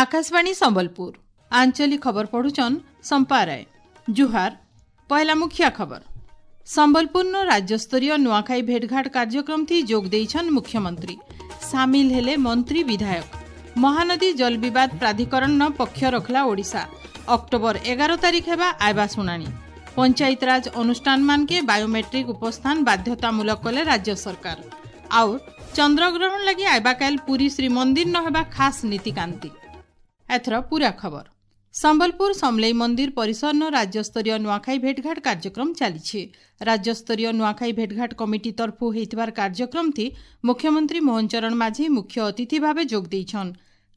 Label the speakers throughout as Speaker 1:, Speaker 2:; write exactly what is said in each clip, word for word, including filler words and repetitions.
Speaker 1: ଆକାଶବାଣୀ ସମ୍ବଲପୁର ଆଞ୍ଚଳିକ ଖବର ପଢୁଛନ୍ ସମ୍ପା ରାୟ ଜୁହାର ପହିଲା ମୁଖିଆ ଖବର ସମ୍ବଲପୁରର ରାଜ୍ୟସ୍ତରୀୟ ନୂଆଖାଇ ଭେଟଘାଟ କାର୍ଯ୍ୟକ୍ରମଥି ଯୋଗ ଦେଇଛନ୍ ମୁଖ୍ୟମନ୍ତ୍ରୀ ସାମିଲ ହେଲେ ମନ୍ତ୍ରୀ ବିଧାୟକ ମହାନଦୀ ଜଳ ବିବାଦ ପ୍ରାଧିକରଣ ପକ୍ଷ ରଖଲା ଓଡ଼ିଶା ଅକ୍ଟୋବର ଏଗାର ତାରିଖ ହେବା ଆଇବା ଶୁଣାଣି ପଞ୍ଚାୟତରାଜ ଅନୁଷ୍ଠାନମାନକେ ବାୟୋମେଟ୍ରିକ୍ ଉପସ୍ଥାନ ବାଧ୍ୟତାମୂଳକ କଲେ ରାଜ୍ୟ ସରକାର ଆଉ ଚନ୍ଦ୍ରଗ୍ରହଣ ଲାଗି ଆଇବାକାଲ ପୁରୀ ଶ୍ରୀମନ୍ଦିର ନ ହେବା ଖାସ୍ ନୀତିକାନ୍ତି ଏଥର ପୁରା ଖବର ସମ୍ବଲପୁର ସମଲେଇ ମନ୍ଦିର ପରିସରନ ରାଜ୍ୟସ୍ତରୀୟ ନୂଆଖାଇ ଭେଟଘାଟ କାର୍ଯ୍ୟକ୍ରମ ଚାଲିଛି ରାଜ୍ୟସ୍ତରୀୟ ନୂଆଖାଇ ଭେଟଘାଟ କମିଟି ତରଫୁ ହେଇଥିବାର କାର୍ଯ୍ୟକ୍ରମଥି ମୁଖ୍ୟମନ୍ତ୍ରୀ ମୋହନ ଚରଣ ମାଝୀ ମୁଖ୍ୟ ଅତିଥି ଭାବେ ଯୋଗ ଦେଇଛନ୍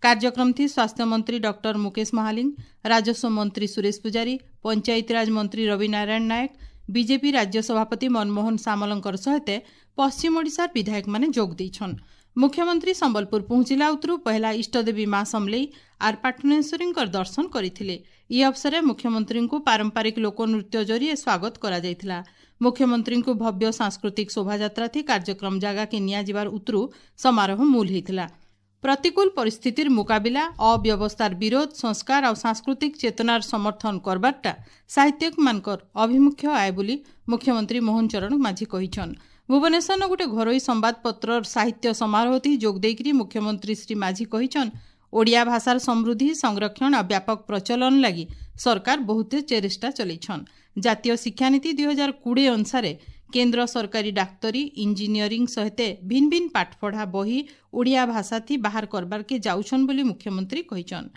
Speaker 1: କାର୍ଯ୍ୟକ୍ରମଥି ସ୍ୱାସ୍ଥ୍ୟମନ୍ତ୍ରୀ ଡକ୍ଟର ମୁକେଶ ମହାଲିଙ୍ଗ ରାଜସ୍ୱ ମନ୍ତ୍ରୀ ସୁରେଶ ପୂଜାରୀ ପଞ୍ଚାୟତିରାଜ ମନ୍ତ୍ରୀ ରବି ନାରାୟଣ ନାୟକ ବିଜେପି ରାଜ୍ୟ ସଭାପତି ମନମୋହନ ସାମଲଙ୍କର ସହିତ ପଶ୍ଚିମ ଓଡ଼ିଶାର ବିଧାୟକମାନେ ଯୋଗ ଦେଇଛନ୍ ମୁଖ୍ୟମନ୍ତ୍ରୀ ସମ୍ବଲପୁର ପହଞ୍ଚିଲା ଉତରୁ ପହିଲା ଇଷ୍ଟଦେବୀ ମା ସମଲେଇ ଆର୍ ପାଟଣେଶ୍ୱରୀଙ୍କର ଦର୍ଶନ କରିଥିଲେ ଇ ଅବସରେ ମୁଖ୍ୟମନ୍ତ୍ରୀଙ୍କୁ ପାରମ୍ପରିକ ଲୋକନୃତ୍ୟ ଜରିଏ ସ୍ୱାଗତ କରାଯାଇଥିଲା ମୁଖ୍ୟମନ୍ତ୍ରୀଙ୍କୁ ଭବ୍ୟ ସାଂସ୍କୃତିକ ଶୋଭାଯାତ୍ରା ଥି କାର୍ଯ୍ୟକ୍ରମ ଜାଗାକେ ନିଆଯିବାର ଉତରୁ ସମାରୋହ ମୂଲ ହେଇଥିଲା ପ୍ରତିକୂଳ ପରିସ୍ଥିତିର ମୁକାବିଲା ଅବ୍ୟବସ୍ଥାର ବିରୋଧ ସଂସ୍କାର ଆଉ ସାଂସ୍କୃତିକ ଚେତନାର ସମର୍ଥନ କରବାରଟା ସାହିତ୍ୟିକମାନଙ୍କର ଆଭିମୁଖ୍ୟ ଆଏ ବୋଲି ମୁଖ୍ୟମନ୍ତ୍ରୀ ମୋହନ ଚରଣ ମାଝୀ କହିଛନ୍ ଭୁବନେଶ୍ୱରର ଗୋଟେ ଘରୋଇ ସମ୍ବାଦପତ୍ରର ସାହିତ୍ୟ ସମାରୋହଥି ଯୋଗ ଦେଇକରି ମୁଖ୍ୟମନ୍ତ୍ରୀ ଶ୍ରୀ ମାଝୀ କହିଛନ୍ ଓଡ଼ିଆ ଭାଷାର ସମୃଦ୍ଧି ସଂରକ୍ଷଣ ଆଉ ବ୍ୟାପକ ପ୍ରଚଳନ ଲାଗି ସରକାର ବହୁତ ଚେଷ୍ଟା ଚଲେଇଛନ୍ ଜାତୀୟ ଶିକ୍ଷାନୀତି ଦୁଇ ହଜାର କୋଡ଼ିଏ ଅନୁସାରେ କେନ୍ଦ୍ର ସରକାରୀ ଡାକ୍ତରୀ ଇଞ୍ଜିନିୟରିଂ ସହିତ ଭିନ୍ନ ଭିନ୍ନ ପାଠପଢ଼ା ବହି ଓଡ଼ିଆ ଭାଷାଥି ବାହାର କରବାର୍କେ ଯାଉଛନ୍ ବୋଲି ମୁଖ୍ୟମନ୍ତ୍ରୀ କହିଛନ୍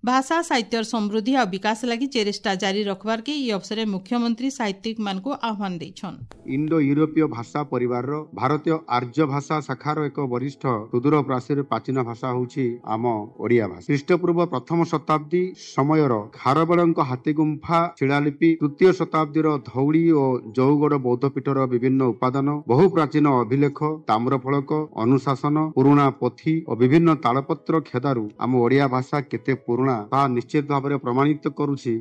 Speaker 1: ଭାଷା ସାହିତ୍ୟର ସମୃଦ୍ଧି ଆଉ ବିକାଶ ଲାଗି ଚେଷ୍ଟା ଜାରି ରଖବାର୍କେ ଇ ଅବସରେ ମୁଖ୍ୟମନ୍ତ୍ରୀ ସାହିତ୍ୟିକମାନଙ୍କୁ ଆହ୍ୱାନ ଦେଇଛନ୍
Speaker 2: ଇଣ୍ଡୋ ୟୁରୋପୀୟ ଭାଷା ପରିବାରର ଭାରତୀୟ ଆର୍ଯ୍ୟ ଭାଷା ଶାଖାର ଏକ ବରିଷ୍ଠ ସୁଦୂର ପ୍ରାଚୀର ପ୍ରାଚୀନ ଭାଷା ହେଉଛି ଆମ ଓଡ଼ିଆ ଭାଷା ଖ୍ରୀଷ୍ଟପୂର୍ବ ପ୍ରଥମ ଶତାବ୍ଦୀ ସମୟର ଖାରବେଳଙ୍କ ହାତୀଗୁମ୍ଫା ଶିଳାଲିପି ତୃତୀୟ ଶତାବ୍ଦୀର ଧଉଳି ଓ ଜଉଗଡ଼ ବୌଦ୍ଧପୀଠର ବିଭିନ୍ନ ଉପାଦାନ ବହୁ ପ୍ରାଚୀନ ଅଭିଲେଖ ତାମ୍ରଫଳକ ଅନୁଶାସନ ପୁରୁଣା ପୋଥି ଓ ବିଭିନ୍ନ ତାଳପତ୍ର ଖେଦାରୁ ଆମ ଓଡ଼ିଆ ଭାଷା କେତେ ପୁରୁଣା ତାହା ନିଶ୍ଚିତ ଭାବରେ ପ୍ରମାଣିତ କରୁଛି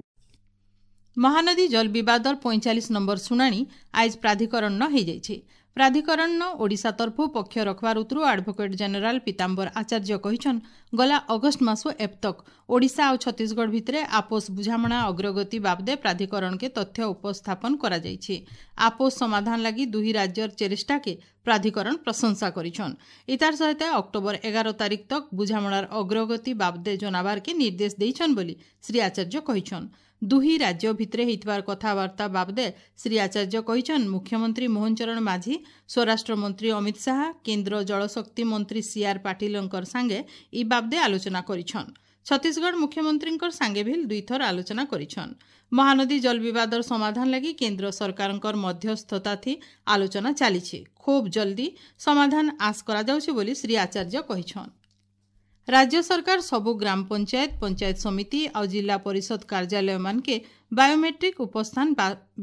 Speaker 1: ମହାନଦୀ ଜଳ ବିବାଦର ପଇଁଚାଳିଶ ନମ୍ବର ଶୁଣାଣି ଆଇଜ ପ୍ରାଧିକରଣ ହେଇଯାଇଛି ପ୍ରାଧିକରଣ ଓଡ଼ିଶା ତରଫୁ ପକ୍ଷ ରଖବାର ଉତରୁ ଆଡଭୋକେଟ୍ ଜେନେରାଲ ପୀତାମ୍ବର ଆଚାର୍ଯ୍ୟ କହିଛନ୍ ଗଲା ଅଗଷ୍ଟ ମାସ ଏବତକ ଓଡ଼ିଶା ଆଉ ଛତିଶଗଡ଼ ଭିତରେ ଆପୋଷ ବୁଝାମଣା ଅଗ୍ରଗତି ବାବଦେ ପ୍ରାଧିକରଣକେ ତଥ୍ୟ ଉପସ୍ଥାପନ କରାଯାଇଛି ଆପୋଷ ସମାଧାନ ଲାଗି ଦୁହି ରାଜ୍ୟର ଚେଷ୍ଟାକେ ପ୍ରାଧିକରଣ ପ୍ରଶଂସା କରିଛନ୍ ଇତାର ସହିତ ଅକ୍ଟୋବର ଏଗାର ତାରିଖ ତକ ବୁଝାମଣାର ଅଗ୍ରଗତି ବାବଦେ ଜଣାବାରକେ ନିର୍ଦ୍ଦେଶ ଦେଇଛନ୍ ବୋଲି ଶ୍ରୀ ଆଚାର୍ଯ୍ୟ କହିଛନ୍ ଦୁହି ରାଜ୍ୟ ଭିତରେ ହେଇଥିବାର କଥାବାର୍ତ୍ତା ବାବଦେ ଶ୍ରୀ ଆଚାର୍ଯ୍ୟ କହିଛନ୍ ମୁଖ୍ୟମନ୍ତ୍ରୀ ମୋହନ ଚରଣ ମାଝୀ ସ୍ୱରାଷ୍ଟ୍ର ମନ୍ତ୍ରୀ ଅମିତ ଶାହା କେନ୍ଦ୍ର ଜଳଶକ୍ତି ମନ୍ତ୍ରୀ ସି ଆର୍ ପାଟିଲଙ୍କର ସାଙ୍ଗେ ଇ ବାବଦେ ଆଲୋଚନା କରିଛନ୍ ଛତିଶଗଡ଼ ମୁଖ୍ୟମନ୍ତ୍ରୀଙ୍କର ସାଙ୍ଗେ ଭିଲ୍ ଦୁଇଥର ଆଲୋଚନା କରିଛନ୍ ମହାନଦୀ ଜଳ ବିବାଦର ସମାଧାନ ଲାଗି କେନ୍ଦ୍ର ସରକାରଙ୍କର ମଧ୍ୟସ୍ଥତା ଥି ଆଲୋଚନା ଚାଲିଛି ଖୁବ୍ ଜଲ୍ଦି ସମାଧାନ ଆଶ କରାଯାଉଛି ବୋଲି ଶ୍ରୀ ଆଚାର୍ଯ୍ୟ କହିଛନ୍ ରାଜ୍ୟ ସରକାର ସବୁ ଗ୍ରାମ ପଞ୍ଚାୟତ ପଞ୍ଚାୟତ ସମିତି ଆଉ ଜିଲ୍ଲା ପରିଷଦ କାର୍ଯ୍ୟାଳୟମାନକେ ବାୟୋମେଟ୍ରିକ୍ ଉପସ୍ଥାନ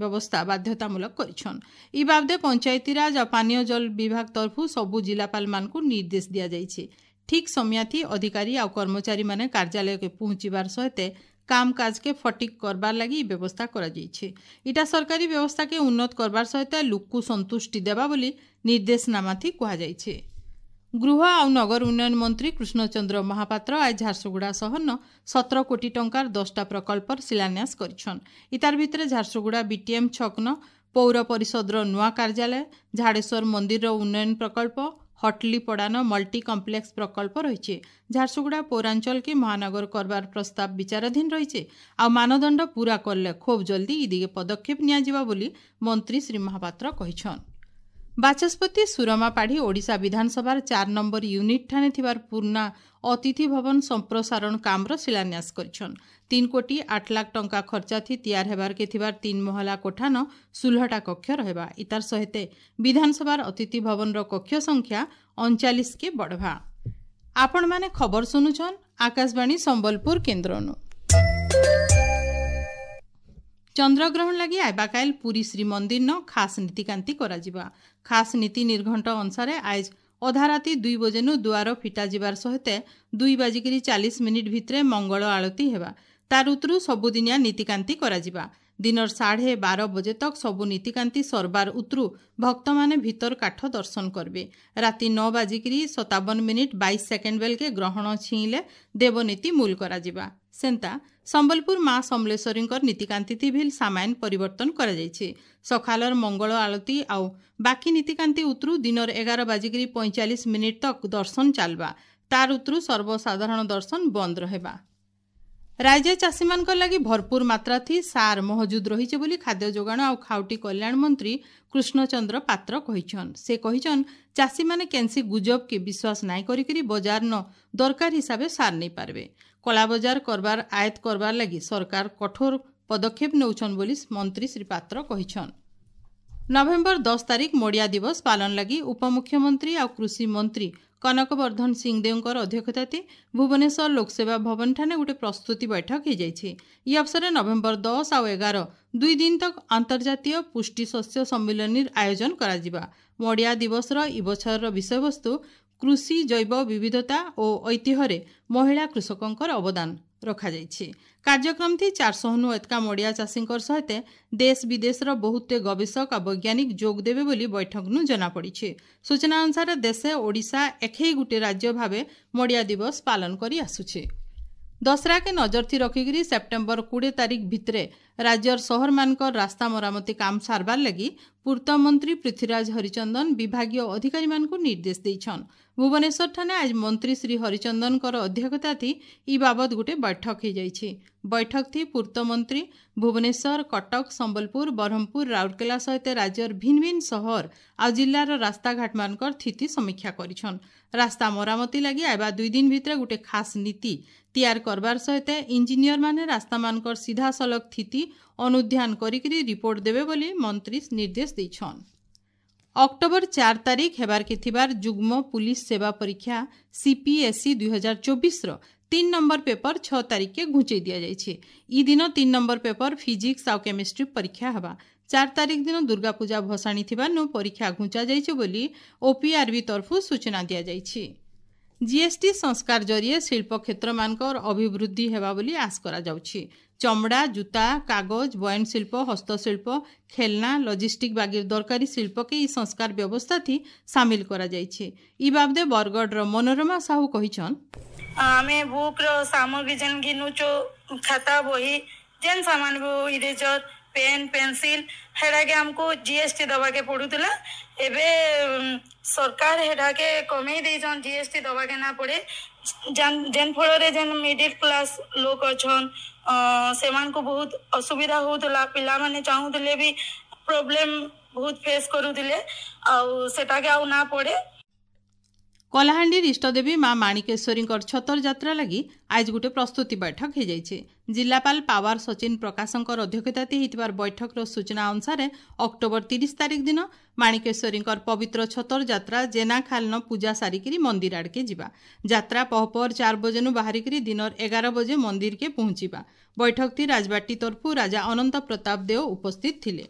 Speaker 1: ବ୍ୟବସ୍ଥା ବାଧ୍ୟତାମୂଳକ କରିଛନ୍ ଇ ବାବଦେ ପଞ୍ଚାୟତିରାଜ ଆଉ ପାନୀୟ ଜଳ ବିଭାଗ ତରଫୁ ସବୁ ଜିଲ୍ଲାପାଳମାନଙ୍କୁ ନିର୍ଦ୍ଦେଶ ଦିଆଯାଇଛି ଠିକ୍ ସମୟାଥି ଅଧିକାରୀ ଆଉ କର୍ମଚାରୀମାନେ କାର୍ଯ୍ୟାଳୟକେ ପହଞ୍ଚିବାର ସହିତ କାମ କାଜକେ ଫଟିକ୍ କରବାର ଲାଗି ଇ ବ୍ୟବସ୍ଥା କରାଯାଇଛି ଇଟା ସରକାରୀ ବ୍ୟବସ୍ଥାକେ ଉନ୍ନତ କରବାର ସହିତ ଲୁକ୍କୁ ସନ୍ତୁଷ୍ଟି ଦେବା ବୋଲି ନିର୍ଦ୍ଦେଶନାମାଥି କୁହାଯାଇଛି ଗୃହ ଆଉ ନଗର ଉନ୍ନୟନ ମନ୍ତ୍ରୀ କୃଷ୍ଣଚନ୍ଦ୍ର ମହାପାତ୍ର ଆଜ ଝାରସୁଗୁଡ଼ା ସହରନ ସତର କୋଟି ଟଙ୍କାର ଦଶଟା ପ୍ରକଳ୍ପର ଶିଳାନ୍ୟାସ କରିଛନ୍ ଇତାର ଭିତରେ ଝାରସୁଗୁଡ଼ା ବିଟିଏମ୍ ଛକନ ପୌର ପରିଷଦର ନୂଆ କାର୍ଯ୍ୟାଳୟ ଝାଡ଼େଶ୍ୱର ମନ୍ଦିରର ଉନ୍ନୟନ ପ୍ରକଳ୍ପ ହଟଲିପଡ଼ାନ ମଲ୍ଟି କମ୍ପ୍ଲେକ୍ସ ପ୍ରକଳ୍ପ ରହିଛି ଝାରସୁଗୁଡ଼ା ପୌରାଞ୍ଚଳକେ ମହାନଗର କରବାର ପ୍ରସ୍ତାବ ବିଚାରାଧୀନ ରହିଛି ଆଉ ମାନଦଣ୍ଡ ପୂରା କଲେ ଖୁବ୍ ଜଲ୍ଦି ଇ ଦିଗେ ପଦକ୍ଷେପ ନିଆଯିବ ବୋଲି ମନ୍ତ୍ରୀ ଶ୍ରୀ ମହାପାତ୍ର କହିଛନ୍ ବାଚସ୍ପତି ସୁରମା ପାଢ଼ୀ ଓଡ଼ିଶା ବିଧାନସଭାର ଚାର ନମ୍ବର ୟୁନିଟ୍ ଠାନେ ଥିବାର ପୁରୁଣା ଅତିଥି ଭବନ ସମ୍ପ୍ରସାରଣ କାମର ଶିଳାନ୍ୟାସ କରିଛନ୍ ତିନି କୋଟି ଆଠ ଲାଖ ଟଙ୍କା ଖର୍ଚ୍ଚାଥି ତିଆର ହେବାରକେ ଥିବାର ତିନି ମହଲା କୋଠାନ ଷୋହଳଟା କକ୍ଷ ରହିବା ଇତାର ସହିତ ବିଧାନସଭାର ଅତିଥି ଭବନର କକ୍ଷ ସଂଖ୍ୟା ଅଣଚାଳିଶକେ ବଢ଼ବା ଆପଣମାନେ ଖବର ଶୁଣୁଛନ୍ ଆକାଶବାଣୀ ସମ୍ବଲପୁର କେନ୍ଦ୍ରନୁ ଚନ୍ଦ୍ରଗ୍ରହଣ ଲାଗି ଆଇବାକାଇଲ ପୁରୀ ଶ୍ରୀମନ୍ଦିରନ ଖାସ୍ ନୀତିକାନ୍ତି କରାଯିବା ଖାସ୍ ନୀତି ନିର୍ଘଣ୍ଟ ଅନୁସାରେ ଆଇଜ ଅଧା ରାତି ଦୁଇ ବଜେନୁ ଦୁଆର ଫିଟାଯିବାର ସହିତ ଦୁଇ ବାଜିକିରି ଚାଳିଶ ମିନିଟ୍ ଭିତରେ ମଙ୍ଗଳ ଆଳତି ହେବା ତାର ଉତରୁ ସବୁଦିନିଆ ନୀତିକାନ୍ତି କରାଯିବା ଦିନର ସାଢ଼େ ବାର ବଜେ ତକ୍ ସବୁ ନୀତିକାନ୍ତି ସରବାର ଉତରୁ ଭକ୍ତମାନେ ଭିତର କାଠ ଦର୍ଶନ କରିବେ। ରାତି ନଅ ବାଜିକିରି ସତାବନ ମିନିଟ୍ ବାଇଶ ସେକେଣ୍ଡ ବେଲକେ ଗ୍ରହଣ ଛିଇଁଲେ ଦେବନୀତି ମୂଲ କରାଯିବା। ସେନ୍ତା ସମ୍ବଲପୁର ମା ସମଲେଶ୍ୱରୀଙ୍କର ନୀତିକାନ୍ତି ଭିଲ୍ ସାମାନ୍ୟ ପରିବର୍ତ୍ତନ କରାଯାଇଛି। ସକାଳର ମଙ୍ଗଳ ଆଳତୀ ଆଉ ବାକି ନୀତିକାନ୍ତି ଉତରୁ ଦିନର ଏଗାର ବାଜିକିରି ପଇଁଚାଳିଶ ମିନିଟ୍ ତକ୍ ଦର୍ଶନ ଚାଲବା। ତାର ଉତରୁ ସର୍ବସାଧାରଣ ଦର୍ଶନ ବନ୍ଦ ରହିବା। ରାଜ୍ୟ ଚାଷୀମାନଙ୍କ ଲାଗି ଭରପୁର ମାତ୍ରାଥି ସାର ମହଜୁଦ ରହିছে ବୋଲି ଖାଦ୍ୟ ଯୋଗାଣ ଆଉ ଖାଉଟି କଲ୍ୟାଣ ମନ୍ତ୍ରୀ କୃଷ୍ଣଚନ୍ଦ୍ର ପାତ୍ର କହିଛନ୍। ସେ କହିଛନ୍, ଚାଷୀମାନେ କେନ୍ସି ଗୁଜବକେ ବିଶ୍ୱାସ ନାଇଁ କରିକିରି ବଜାର ନ ଦରକାର ହିସାବେ ସାର ନେଇପାରିବେ। କଳାବଜାର କରବାର ଆୟତ କରବାର ଲାଗି ସରକାର କଠୋର ପଦକ୍ଷେପ ନେଉଛନ୍ ବୋଲି ମନ୍ତ୍ରୀ ଶ୍ରୀ ପାତ୍ର କହିଛନ୍। ନଭେମ୍ବର ଦଶ ତାରିଖ ମଡ଼ିଆ ଦିବସ ପାଳନ ଲାଗି ଉପମୁଖ୍ୟମନ୍ତ୍ରୀ ଆଉ କୃଷି ମନ୍ତ୍ରୀ କନକବର୍ଦ୍ଧନ ସିଂଦେଓଙ୍କର ଅଧ୍ୟକ୍ଷତାରେ ଭୁବନେଶ୍ୱର ଲୋକସେବା ଭବନଠାରେ ଗୋଟେ ପ୍ରସ୍ତୁତି ବୈଠକ ହୋଇଯାଇଛି। ଇ ଅବସରରେ ନଭେମ୍ବର ଦଶ ଆଉ ଏଗାର ଦୁଇ ଦିନ ତକ୍ ଅନ୍ତର୍ଜାତୀୟ ପୁଷ୍ଟି ଶସ୍ୟ ସମ୍ମିଳନୀର ଆୟୋଜନ କରାଯିବା। ମଡ଼ିଆ ଦିବସର ଇ ବଛରର ବିଷୟବସ୍ତୁ କୃଷି ଜୈବ ବିବିଧତା ଓ ଐତିହ୍ୟରେ ମହିଳା କୃଷକଙ୍କର ଅବଦାନ ରଖାଯାଇଛି। କାର୍ଯ୍ୟକ୍ରମଥି ଚାରିଶହନୁ ଏତକା ମଡ଼ିଆ ଚାଷୀଙ୍କର ସହିତ ଦେଶ ବିଦେଶର ବହୁତେ ଗବେଷକ ଆଉ ବୈଜ୍ଞାନିକ ଯୋଗ ଦେବେ ବୋଲି ବୈଠକନୁ ଜଣାପଡ଼ିଛି। ସୂଚନା ଅନୁସାରେ ଦେଶେ ଓଡ଼ିଶା ଏଖେଇ ଗୋଟିଏ ରାଜ୍ୟ ଭାବେ ମଡ଼ିଆ ଦିବସ ପାଳନ କରି ଆସୁଛି। ଦଶହରାକେ ନଜରଥି ରଖିକିରି ସେପ୍ଟେମ୍ବର କୋଡ଼ିଏ ତାରିଖ ଭିତରେ ରାଜ୍ୟର ସହରମାନଙ୍କର ରାସ୍ତା ମରାମତି କାମ ସାରବାର ଲାଗି ପୂର୍ତ୍ତ ମନ୍ତ୍ରୀ ପୃଥ୍ୱୀରାଜ ହରିଚନ୍ଦନ ବିଭାଗୀୟ ଅଧିକାରୀମାନଙ୍କୁ ନିର୍ଦ୍ଦେଶ ଦେଇଛନ୍। ଭୁବନେଶ୍ୱରଠାରେ ଆଜି ମନ୍ତ୍ରୀ ଶ୍ରୀ ହରିଚନ୍ଦନଙ୍କର ଅଧ୍ୟକ୍ଷତାଥି ଇ ବାବଦ ଗୋଟେ ବୈଠକ ହୋଇଯାଇଛି। ବୈଠକଥି ପୂର୍ତ୍ତ ମନ୍ତ୍ରୀ ଭୁବନେଶ୍ୱର, କଟକ, ସମ୍ବଲପୁର, ବ୍ରହ୍ମପୁର, ରାଉରକେଲା ସହିତ ରାଜ୍ୟର ଭିନ୍ନ ଭିନ୍ନ ସହର ଆଉ ଜିଲ୍ଲାର ରାସ୍ତାଘାଟମାନଙ୍କର ସ୍ଥିତି ସମୀକ୍ଷା କରିଛନ୍। ରାସ୍ତା ମରାମତି ଲାଗି ଆଇବା ଦୁଇ ଦିନ ଭିତରେ ଗୋଟେ ଖାସ୍ ନୀତି ତିଆର କରବାର ସହିତ ଇଞ୍ଜିନିୟରମାନେ ରାସ୍ତାମାନଙ୍କର ସିଧାସଳଖ ସ୍ଥିତି ଅନୁଧ୍ୟାନ କରିକିରି ରିପୋର୍ଟ ଦେବେ ବୋଲି ମନ୍ତ୍ରୀ ନିର୍ଦ୍ଦେଶ ଦେଇଛନ୍। ଅକ୍ଟୋବର ଚାରି ତାରିଖ ହେବାରକେ ଥିବାର ଯୁଗ୍ମ ପୁଲିସ ସେବା ପରୀକ୍ଷା ସିପିଏସ୍ସି ଦୁଇ ହଜାର ଚବିଶର ତିନି ନମ୍ବର ପେପର ଛଅ ତାରିଖକେ ଘୁଞ୍ଚେଇ ଦିଆଯାଇଛି। ଇ ଦିନ ତିନି ନମ୍ବର ପେପର ଫିଜିକ୍ସ ଆଉ କେମିଷ୍ଟ୍ରି ପରୀକ୍ଷା ହେବା। ଚାରି ତାରିଖ ଦିନ ଦୁର୍ଗାପୂଜା ଭସାଣି ଥିବାରୁ ପରୀକ୍ଷା ଘୁଞ୍ଚା ଯାଇଛି ବୋଲି ଓପିଆରବି ତରଫରୁ ସୂଚନା ଦିଆଯାଇଛି। ଜିଏସ୍ଟି ସଂସ୍କାର ଜରିଏ ଶିଳ୍ପ କ୍ଷେତ୍ରମାନଙ୍କର ଅଭିବୃଦ୍ଧି ହେବା ବୋଲି ଆଶ କରାଯାଉଛି। ଚମଡ଼ା, ଜୁତା, କାଗଜ, ବୟନଶିଳ୍ପ, ହସ୍ତଶିଳ୍ପ, ଖେଳନା, ଲଜିଷ୍ଟିକ୍ ବାଗିର ଦରକାରୀ ଶିଳ୍ପକେ ଇ ସଂସ୍କାର ବ୍ୟବସ୍ଥାଥି ସାମିଲ କରାଯାଇଛି। ଇ ବାବଦେ ବରଗଡ଼ର ମନୋରମା ସାହୁ କହିଛନ୍,
Speaker 3: ଆମେ ବୁକ୍ର ସାମଗ୍ରୀ ଯେନ୍ ଘିନୁଛୁ, ଖାତା ବହି ଯେନ୍ ସାମାନ ବି ଇରେଜର, ପେନ୍, ପେନସିଲ୍, ହେଟାକେ ଆମକୁ ଜିଏସ୍ଟି ଦେବାକେ ପଡୁଥିଲା। ଏବେ ସରକାର ହେଟାକେ କମେଇ ଦେଇଛନ୍, ଜିଏସ୍ଟି ଦେବାକେ ନା ପଡ଼େ। ଯେନ୍ ଫଳରେ ଯେନ୍ ମିଡିଲ୍ କ୍ଲାସ୍ ଲୋକ ଅଛନ୍ ସେମାନଙ୍କୁ ବହୁତ ଅସୁବିଧା ହଉଥିଲା। ପିଲାମାନେ ଚାହୁଁଥିଲେ ବି ପ୍ରୋବ୍ଲେମ୍ ବହୁତ ଫେସ୍ କରୁଥିଲେ, ଆଉ ସେଟାକେ ଆଉ ନା ପଡ଼େ।
Speaker 1: କଳାହାଣ୍ଡିର ଇଷ୍ଟଦେବୀ ମା ମାଣିକେଶ୍ୱରୀଙ୍କର ଛତର ଯାତ୍ରା ଲାଗି ଆଜି ଗୋଟେ ପ୍ରସ୍ତୁତି ବୈଠକ ହୋଇଯାଇଛି। ଜିଲ୍ଲାପାଳ ପାୱାର ସଚିନ ପ୍ରକାଶଙ୍କର ଅଧ୍ୟକ୍ଷତାରେ ହୋଇଥିବାର ବୈଠକର ସୂଚନା ଅନୁସାରେ ଅକ୍ଟୋବର ତିରିଶ ତାରିଖ ଦିନ ମାଣିକେଶ୍ୱରୀଙ୍କର ପବିତ୍ର ଛତର ଯାତ୍ରା ଜେନାଖାଲନ ପୂଜା ସାରିକିରି ମନ୍ଦିର ଆଡ଼କେ ଯିବା। ଯାତ୍ରା ପହପର ଚାର ବଜେନୁ ବାହାରିକିରି ଦିନର ଏଗାର ବଜେ ମନ୍ଦିରକେ ପହଞ୍ଚିବା। ବୈଠକଟି ରାଜବାଟୀ ତରଫରୁ ରାଜା ଅନନ୍ତ ପ୍ରତାପ ଦେଓ ଉପସ୍ଥିତ ଥିଲେ।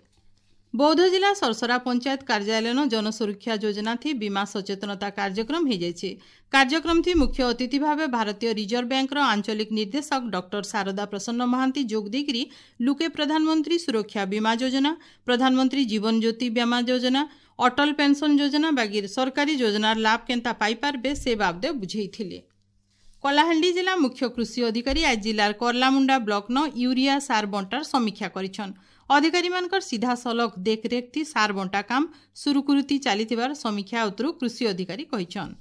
Speaker 1: ବୌଦ୍ଧ ଜିଲ୍ଲା ସରସରା ପଞ୍ଚାୟତ କାର୍ଯ୍ୟାଳୟନ ଜନସୁରକ୍ଷା ଯୋଜନା ଥି ବୀମା ସଚେତନତା କାର୍ଯ୍ୟକ୍ରମ ହୋଇଯାଇଛି। କାର୍ଯ୍ୟକ୍ରମ ଥି ମୁଖ୍ୟ ଅତିଥି ଭାବେ ଭାରତୀୟ ରିଜର୍ଭ ବ୍ୟାଙ୍କର ଆଞ୍ଚଳିକ ନିର୍ଦ୍ଦେଶକ ଡକ୍ଟର ଶାରଦା ପ୍ରସନ୍ନ ମହାନ୍ତି ଯୋଗ ଦେଇକରି ଲୁକେ ପ୍ରଧାନମନ୍ତ୍ରୀ ସୁରକ୍ଷା ବୀମା ଯୋଜନା, ପ୍ରଧାନମନ୍ତ୍ରୀ ଜୀବନ ଜ୍ୟୋତି ବୀମା ଯୋଜନା, ଅଟଲ ପେନ୍ସନ୍ ଯୋଜନା ବାଗିର ସରକାରୀ ଯୋଜନାର ଲାଭ କେନ୍ତା ପାଇପାରବେ ସେ ବାବଦେ ବୁଝେଇଥିଲେ। କଳାହାଣ୍ଡି ଜିଲ୍ଲା ମୁଖ୍ୟ କୃଷି ଅଧିକାରୀ ଆଜି ଜିଲ୍ଲାର କର୍ଲାମୁଣ୍ଡା ବ୍ଲକନ ୟୁରିଆ ସାର ବଣ୍ଟାର ସମୀକ୍ଷା କରିଛନ୍। ଅଧିକାରୀମାନଙ୍କର ସିଧାସଳଖ ଦେଖରେଖ ଥି ସାର ବଣ୍ଟା କାମ ସୁରୁଖୁରୁତି ଚାଲିଥିବାର ସମୀକ୍ଷା ଉତରୁ କୃଷି ଅଧିକାରୀ କହିଛନ୍।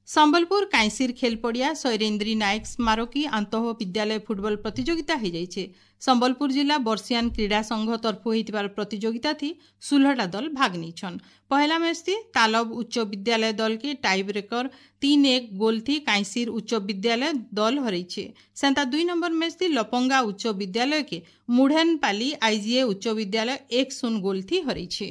Speaker 1: ସମ୍ବଲପୁର କାଇଁସିର ଖେଲପଡ଼ିଆ ଶୈରେନ୍ଦ୍ରୀ ନାୟକ ସ୍ମାରକୀ ଆନ୍ତଃ ବିଦ୍ୟାଳୟ ଫୁଟବଲ ପ୍ରତିଯୋଗିତା ହୋଇଯାଇଛି। ସମ୍ବଲପୁର ଜିଲ୍ଲା ବର୍ଷିଆନ କ୍ରୀଡ଼ା ସଂଘ ତରଫୁ ହୋଇଥିବାର ପ୍ରତିଯୋଗିତା ଥି ଷୋହଳଟା ଦଲ ଭାଗ ନେଇଛନ୍। ପହେଲା ମ୍ୟାଚ୍ ଥି ତାଲବ ଉଚ୍ଚ ବିଦ୍ୟାଳୟ ଦଲକେ ଟାଇ ବ୍ରେକର ତିନ ଏକ ଗୋଲ ଥି କାଇଁସିର ଉଚ୍ଚ ବିଦ୍ୟାଳୟ ଦଲ ହରେଇছে। ସେନ୍ତା ଦୁଇ ନମ୍ବର ମ୍ୟାଚ୍ ଥି ଲପଙ୍ଗା ଉଚ୍ଚ ବିଦ୍ୟାଳୟକେ ମୁଢ଼େନପାଲି ଆଇଜିଏ ଉଚ୍ଚ ବିଦ୍ୟାଳୟ ଏକ ଶୂନ ଗୋଲ ଥି ହରେଇছে।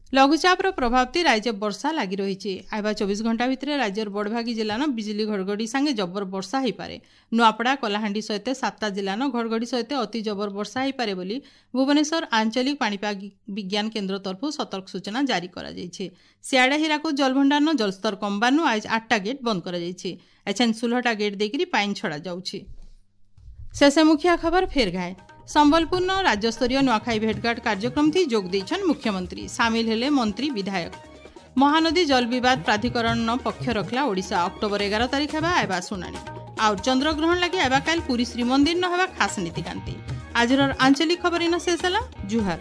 Speaker 1: ଲଘୁଚାପର ପ୍ରଭାବତି ରାଜ୍ୟ ବର୍ଷା ଲାଗି ରହିଛି। ଆଇବା ଚବିଶ ଘଣ୍ଟା ଭିତରେ ରାଜ୍ୟର ବଡ଼ଭାଗୀ ଜିଲ୍ଲାନ ବିଜୁଳି ଘଡ଼ଘଡ଼ି ସାଙ୍ଗେ ଜବର ବର୍ଷା ହୋଇପାରେ। ନୂଆପଡ଼ା, କଳାହାଣ୍ଡି ସହିତ ସାତଟା ଜିଲ୍ଲାନ ଘଡ଼ଘଡ଼ି ସହିତ ଅତି ଜବର ବର୍ଷା ହୋଇପାରେ ବୋଲି ଭୁବନେଶ୍ୱର ଆଞ୍ଚଳିକ ପାଣିପାଗ ବିଜ୍ଞାନ କେନ୍ଦ୍ର ତରଫରୁ ସତର୍କ ସୂଚନା ଜାରି କରାଯାଇଛି। ସିଆଡ଼େ ହୀରାକୁଦ ଜଳଭଣ୍ଡାରନ ଜଳସ୍ତର କମବାନୁ ଆଜ ଆଠଟା ଗେଟ୍ ବନ୍ଦ କରାଯାଇଛି। ଏଛେନ୍ ଷୋହଳଟା ଗେଟ୍ ଦେଇକରି ପାଇନ୍ ଛଡ଼ାଯାଉଛି। ଶେଷେ ମୁଖିଆ ଖବର ଫେର ଘାଏ। ସମ୍ବଲପୁରନ ରାଜ୍ୟସ୍ତରୀୟ ନୂଆଖାଇ ଭେଟଘାଟ କାର୍ଯ୍ୟକ୍ରମଥି ଯୋଗ ଦେଇଛନ୍ ମୁଖ୍ୟମନ୍ତ୍ରୀ। ସାମିଲ ହେଲେ ମନ୍ତ୍ରୀ, ବିଧାୟକ। ମହାନଦୀ ଜଳ ବିବାଦ ପ୍ରାଧିକରଣ ପକ୍ଷ ରଖିଲା ଓଡ଼ିଶା। ଅକ୍ଟୋବର ଏଗାର ତାରିଖ ହେବା ଆଇବା ଶୁଣାଣି। ଆଉ ଚନ୍ଦ୍ରଗ୍ରହଣ ଲାଗି ଆଇବା କାଲି ପୁରୀ ଶ୍ରୀମନ୍ଦିର ନ ହେବା ଖାସ ନୀତିକାନ୍ତି। ଆଜିର ଆଞ୍ଚଳିକ ଖବର ଇନ ଶେଷ ହେଲା। ଜୁହାର।